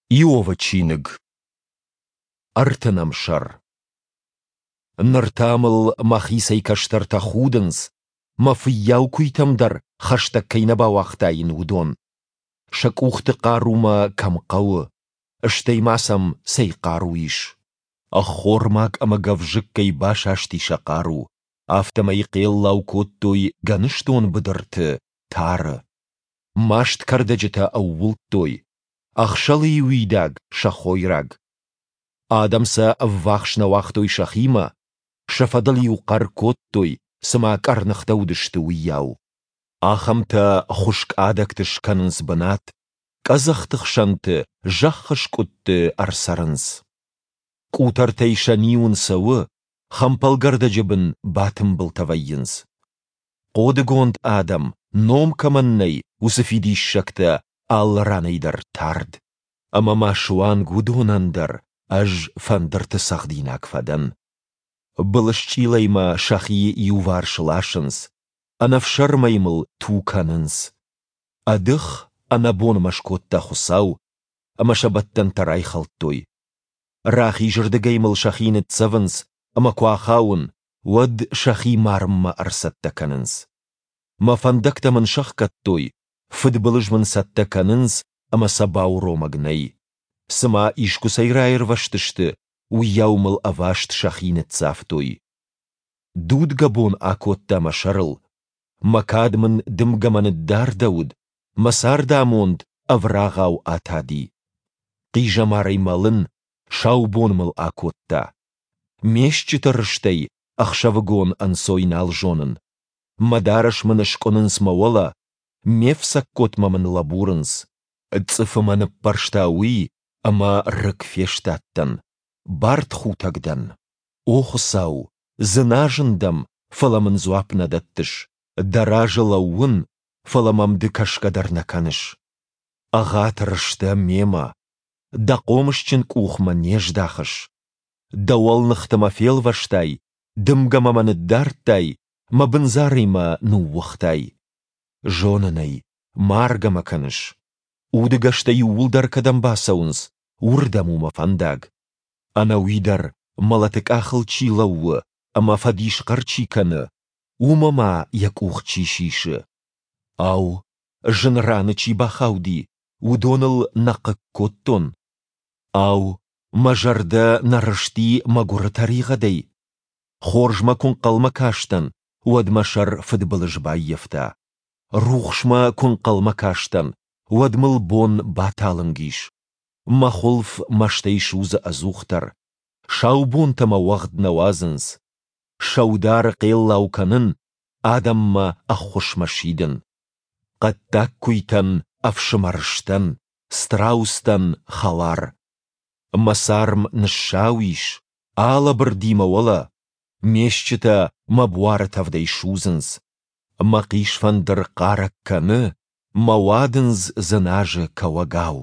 Иовы чиныг, ӕртынӕм сӕр. Ныр та мыл мӕхицӕй кӕстӕртӕ худынц, мӕ фыййау куыйтӕм дӕр хӕстӕг кӕй нӕ бауагътаин, уыдон. Сӕ къухты хъару мӕ кӕм хъӕуы, стӕй ма сӕм цӕй хъару ис? Ӕххормаг ӕмӕ гӕвзыккӕй басасти сӕ хъару, афтӕмӕй хъеллау кодтой гӕныстон быдырты, тары. Маст кӕрдӕджытӕ ӕууылдтой, ӕхсӕлыйы уидаг сӕ хойраг. Адӕм сӕ ӕввахс нӕ уагътой сӕхимӕ, сӕ фӕдыл-иу хъӕр кодтой, цыма къӕрныхтӕ уыдысты, уыйау. Ахӕмтӕ хуыскъ адӕгты скӕнынц бынат, къӕдзӕхты хсӕнты, зӕххы скъуыдты ӕрцӕрынц. Къутӕртӕй сӕ ниуын цӕуы, хӕмпӕлгӕрдӕджы бын батымбылтӕ вӕййынц. Хъодыгонд адӕм, ном кӕмӕн нӕй, уыцы фидиссӕгтӕ алы ранӕй дӕр тард. Ӕмӕ ма суанг уыдонӕн дӕр ӕз фӕндырты цӕгъдинаг фӕдӕн. Былысчъилӕй мӕ сӕхи иуварс ласынц, ӕнӕфсӕрмӕй мыл ту кӕнынц. Ӕдых, ӕнӕбон мӕ скодта Хуыцау, ӕмӕ сӕ бӕттӕнтӕ райхӕлдтой. Рахизырдыгӕй мыл сӕхи ныццӕвынц, ӕмӕ куы ахауын, уӕд сӕхи марынмӕ ӕрцӕттӕ кӕнынц. Мӕ фӕндӕгтӕ мын сӕхгӕдтой, фыдбылыз мын цӕттӕ кӕнынц ӕмӕ сӕ бауромӕг нӕй. Цыма искуыцӕй раирвӕзтысты, уыйау мыл ӕваст сӕхи ныццавтой. Дудгӕ бон акодта мӕ сӕрыл. Мӕ кад мын дымгӕмӕ ныддардӕуыд, мӕ цардамонд ӕврагъау атади. Хъизӕмарӕй мӕлын, сау бон мыл акодта. Ме стджыты рыстӕй ӕхсӕвыгон ӕнцой нал зонын. Мӕ дарӕс мын скъуынынц мӕ уӕлӕ, ме фцӕгготмӕ мын лӕбурынц. Цъыфы мӕ ныппӕрста уый, ӕмӕ рыг фестадтӕн, бартхутӕг дӕн. О Хуыцау, дзыназын дӕм, фӕлӕ мын дзуапп нӕ дӕттыс. Дӕ разы лӕууын, фӕлӕ мӕм ды кӕсгӕ дӕр нӕ кӕныс. Ӕгъатыр сдӕ мемӕ, дӕ хъомысджын къух мӕ не здахыс. Дӕ уӕлныхты мӕ фелвӕстай, дымгӕмӕ мӕ ныддардтай, мӕ бындзарӕй мӕ ныууыгътай. Зонын ӕй, маргӕ мӕ кӕныс. Удыгӕстӕ иууылдӕр кӕдӕм бацӕуынц, уырдӕм у мӕ фӕндаг. Ӕнӕуи дӕр мӕлӕты къахыл чи лӕууы ӕмӕ фӕдисхъӕр чи кӕны, уымӕ ма йӕ къух чи сисы? Ау, зын раны чи бахауди, уыдоныл нӕ хъыг кодтон? Ау, мӕ зӕрдӕ нӕ рысти мӕгуыры тӕригъӕдӕй? Хорзмӕ куы нхъӕлмӕ кастӕн, уӕд мӕ сӕр фыдбылыз баййӕфта. Рухсмӕ куы нхъӕлмӕ кастӕн, уӕд мыл бон баталынг ис. Мӕ хуылф мӕстӕй судзы ӕдзухдӕр. Сау бонтӕ мӕ уӕгъд нӕ уадзынц. Сӕудары хъеллау кӕнын, адӕммӕ ӕххуысмӕ сидын. Хъӕддаг куыйтӕн ӕфсымӕр сдӕн, страустӕн хӕлар. Мӕ царм ныссау ис, алӕбырди мӕ уӕлӕ, ме стджытӕ мӕ буары тӕвдӕй судзынц. Мӕ хъисфӕндыр хъарӕг кӕны, мӕ уадындз дзыназы кӕуӕгау.